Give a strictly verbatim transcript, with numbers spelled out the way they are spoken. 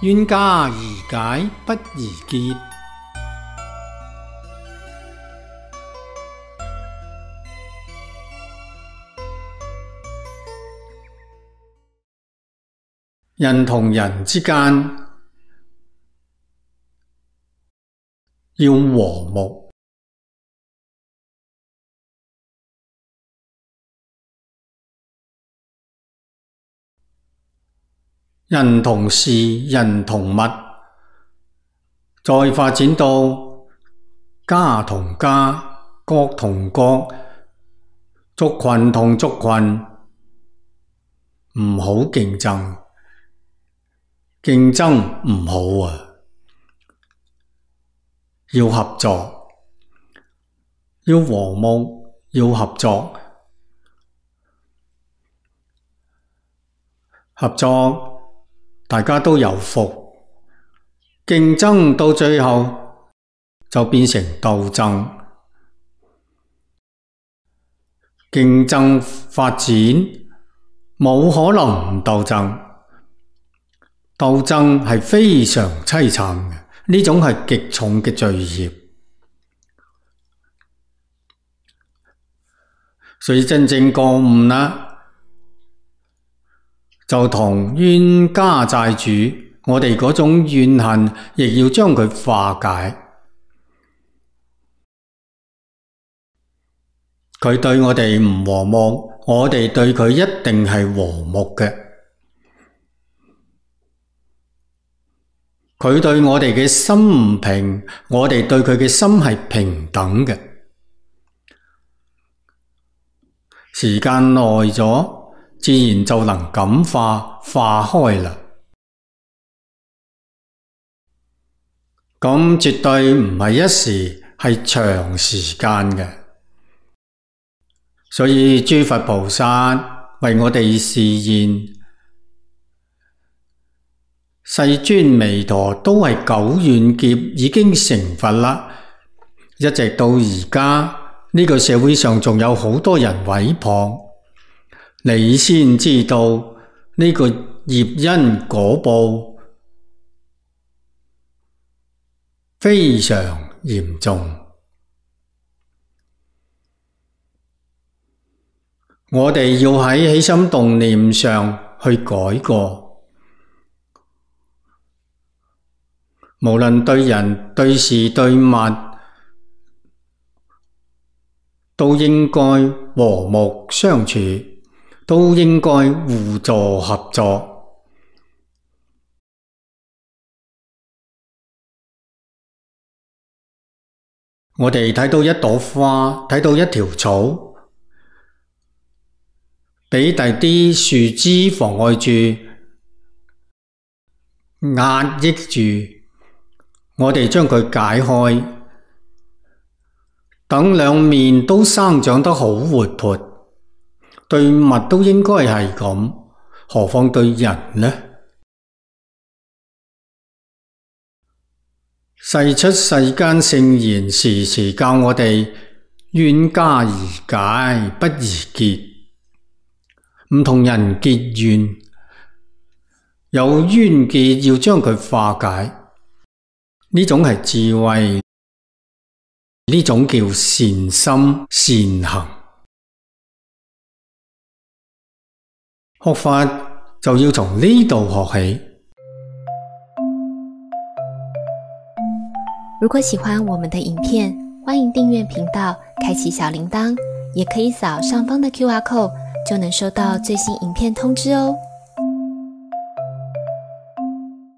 冤家宜解不宜結。人同人之間要和睦，人同事、人同物，再發展到家同家、國同國、族群同族群，唔好競爭。競爭唔好啊，要合作，要和睦，要合作。合作，大家都有福。競爭到最後就變成鬥爭。競爭發展冇可能唔鬥爭。鬥爭係非常淒慘嘅，呢種係極重嘅罪孽。所以真正覺悟啦，就同冤家債主，我哋嗰種怨恨，亦要將佢化解。佢對我哋唔和睦，我哋對佢一定係和睦嘅。佢對我哋嘅心唔平，我哋對佢嘅心係平等嘅。時間耐咗，自然就能感化化開啦。咁絕對唔係一時，係長時間嘅。所以諸佛菩薩為我哋示現，世尊彌陀都係久遠劫已經成佛啦，一直到而家呢個社會上仲有好多人毀謗，你先知道呢個業因果報非常嚴重。我哋要喺起心動念上去改過。無論對人、對事、對物，都應該和睦相處，都應該互助合作。我哋睇到一朵花，睇到一條草，俾第啲樹枝妨礙住、壓抑住。我哋將佢解開，等兩面都生長得好活潑，對物都應該係咁，何況對人呢？世出世間聖賢時時教我哋冤家宜解不宜結，唔同人結怨，有冤結要將佢化解。呢種係智慧，呢種叫善心善行。學法就要從呢度學起。如果喜歡我們的影片，歡迎訂閱頻道，開啟小鈴鐺，也可以掃上方的 Q R code，就能收到最新影片通知哦。